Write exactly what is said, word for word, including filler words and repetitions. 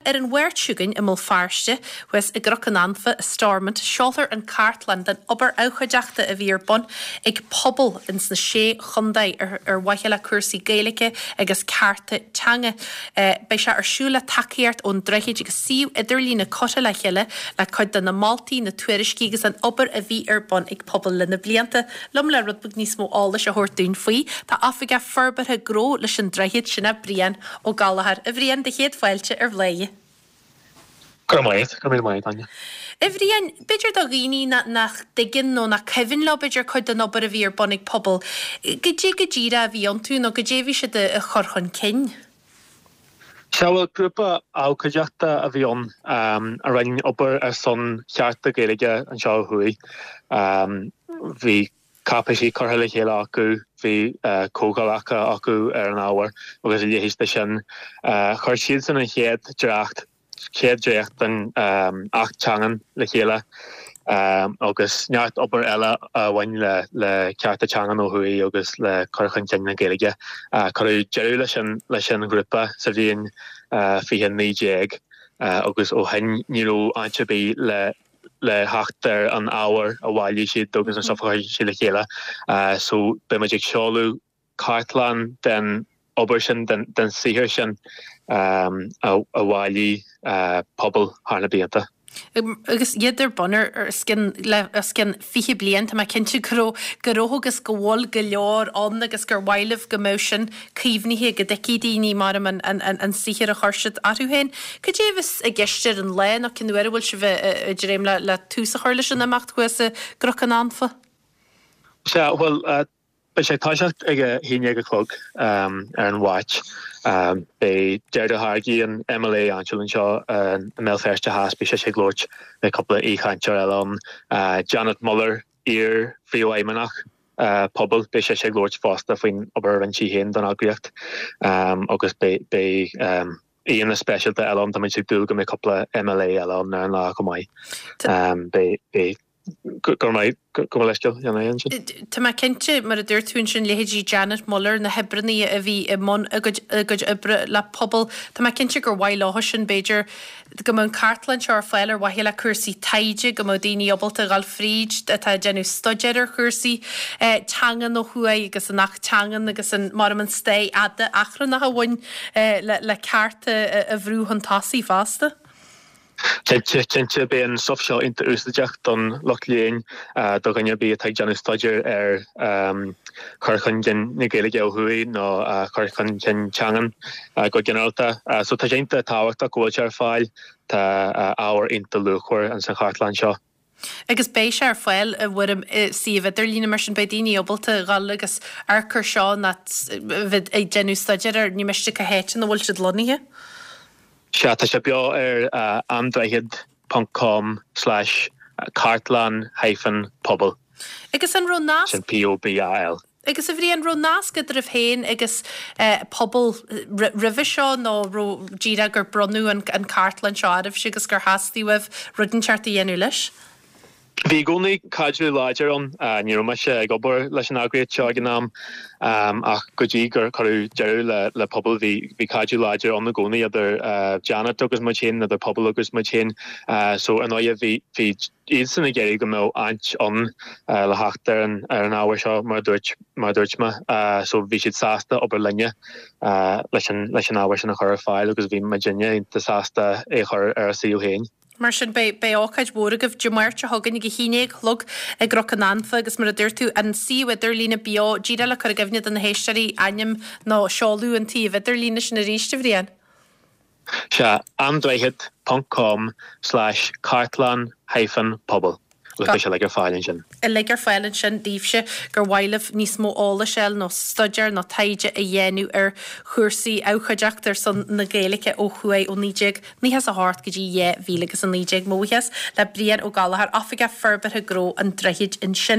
ar an Mháirt seo chugainn i mBéal Feirste, thuas i gCnoc an Anfa, i Stormont, seolfar an cartlann den obair abhcóideachta a bhí ar bun ag pobal ins na Sé Chontae ar, ar mhaithe le cúrsaí Gaeilge agus cearta teanga. Beidh sé ar siúl le tacaíocht ón Droichead agus suíomh idirlíne curtha le chéile le cuid de na moltaí, na tuairiscí agus an obair a bhí ar bun ag pobal le na blianta. Liom le rud beag níos mó eolais a thabhairt dúinn faoi, tá Oifigeach Forbartha Gnó leis an Droichead, sin é Brian Ó Gallchóir. A Bhriain, do chéad fáilte ar Bhladhaire. Go raibh maith, go raibh maith Áine. A Bhriain, b'fhéidir do dhaoine nach dtuigeann nó nach cuimhin leo b'fhéidir cuid den obair a bhí ar bun ag pobal, goidé go díreach a bhí iontu nó goidé a bhí siad a chur chun cinn? Sea, bhuel, grúpa abhcóideachta a bhí ann a rinne obair ar son chearta Gaeilge anseo ó thuaidh. Bhí cáipéisí curtha le chéile acu, bhí comhdhálacha acu ar an ábhar agus a leithéid de sin. Chuir siadsan an chéad dréacht chéad dréacht den Acht Teangan le chéile agus neart obair eile a bhain le le cearta teangan ó thuaidh agus le cur chun cinn na Gaeilge. Cuireadh deireadh leis an leis an ghrúpa sa bhliain fiche naoi déag agus ó shin ní raibh áit ar bith le le theacht ar an ábhar a bhailigh siad agus an stuff a chuir siad le chéile. So beidh muid ag seoladh cartlann den obair sin den den saothar sin a a bhailigh pobal thar na blianta. Agus iad ar bun ar os cionn le os cionn fiche bliain, tá mé cinnte go raibh go raibh agus go bhfuil go leor ann agus gur mhaith libh go mbeadh sin caomhnaithe go dtuigfidh daoine mar an an an saothar a chuir siad orthu féin. Cad é a bheas i gceist ar an lá nó cén uair a bhfuil sibh ag dréim le le tús a chur leis an imeacht thuas i gCnoc an Anfa? Sea, bhuel, beidh sé ag toiseacht ag a haon déag a chlog ar an Mháirt. Beidh Deirdre Hargey, an MLA áitiúil anseo i mBéal Feirste Theas, beidh sise ag labhairt, beidh cúpla aoichainteoir eile ann. Janet Muller, iar-phríomhfheidhmeannach pobal, beidh sise ag labhairt fosta faoin obair a rinne sí féin don eagraíocht agus beidh beidh aíonna speisialta eile ann. Táimid ag dúil go mbeidh cúpla MLA eile ann ar an lá chomh maith. Beidh beidh go raibh maith go bhfuil leithscéal dhéanamh ansin. Tá mé cinnte, mar a dúirt tú ansin, leithéidí Janet Muller, na hoibreanna a bhí i mbun a gcuid a gcuid oibre le pobal, tá mé cinnte gur mhaith leo sin, b'fhéidir, go mbeadh an cartlann seo ar fáil ar mhaithe le cúrsaí taighde, go mbeadh daoine ábalta a dhul fríd atá ag déanamh staidéir ar chúrsaí teangan ó thuaidh agus an Acht Teangan agus an mar an stair fhada achrannach a bhain le le cearta a bhrú chun tosaigh fosta. Cinnte, cinnte, beidh an stuff seo iontach úsáideach don lucht léinn, do dhuine ar bith atá ag déanamh staidéir ar chur chun cinn na Gaeilge ó thuaidh nó chur chun cinn teangan go ginearálta. So tá sé iontach tábhachtach go bhfuil sé ar fáil. Tá ábhar iontach luachmhar ins an chartlann seo. Agus beidh sé ar fáil i bhfoirm suíomh idirlíne, mar sin beidh daoine ábalta dhul agus amharc air seo nó bheith ag déanamh staidéir air, ní miste cá háit ina bhfuil siad lonnaithe. Sea, tá sé beo ar androichead ponc com slash cartlann hyphen pobal. Agus an raibh nasc. Sin P-O-B-A-L. Agus a Bhriain, raibh nasc eadraibh féin agus pobal roimhe seo nó raibh díreach gur bronnadh an cartlann seo oraibhse agus gur theastaigh uaibh rud inteacht a dhéanamh leis? Bhí i gcónaí caidreamh láidir ann. Ní raibh mise ag obair leis an eagraíocht seo ag an am ach go dtí gur cuireadh deireadh le pobal bhí bhí caidreamh láidir ann i gcónaí idir Janet agus muid féin, idir pobal agus muid féin. So ar ndóigh bhí bhí iadsan ag iarraidh go mbeadh áit ann le theacht ar an ar an ábhar seo mar a dúirt mar a dúirt mé. So bhí siad sásta obair linne leis an leis an ábhar sin a chur ar fáil agus bhí muidinne iontach sásta é a chur ar a suíomh féin. Mar sin, beidh beidh ócáid mhór agaibh Dé Máirt seo chugainn ag a haon déag a chlog i gCnoc an Anfa agus mar a dúirt tú, an suíomh idirlíne beo, díreach le cur i gcuimhne do na héisteoirí ainm nó seoladh an tsuímh idirlíne sin arís, a Bhriain. Sea, androichead ponc com slash cartlann hyphen pobal. Agus beidh sé uilig ar fáil ansin. Uilig ar fáil ansin daoibhse gur mhaith libh níos mó eolais a fháil nó staidéar nó taighde a dhéanamh ar chúrsaí abhcóideachta ar son na Gaeilge ó thuaidh ó naoi déag nócha a hocht go dtí dhá mhíle agus a naoi déag. Mo bhuíochas le Brian Ó Gallchóir, Oifigeach Forbartha Gnó an Droichid ansin.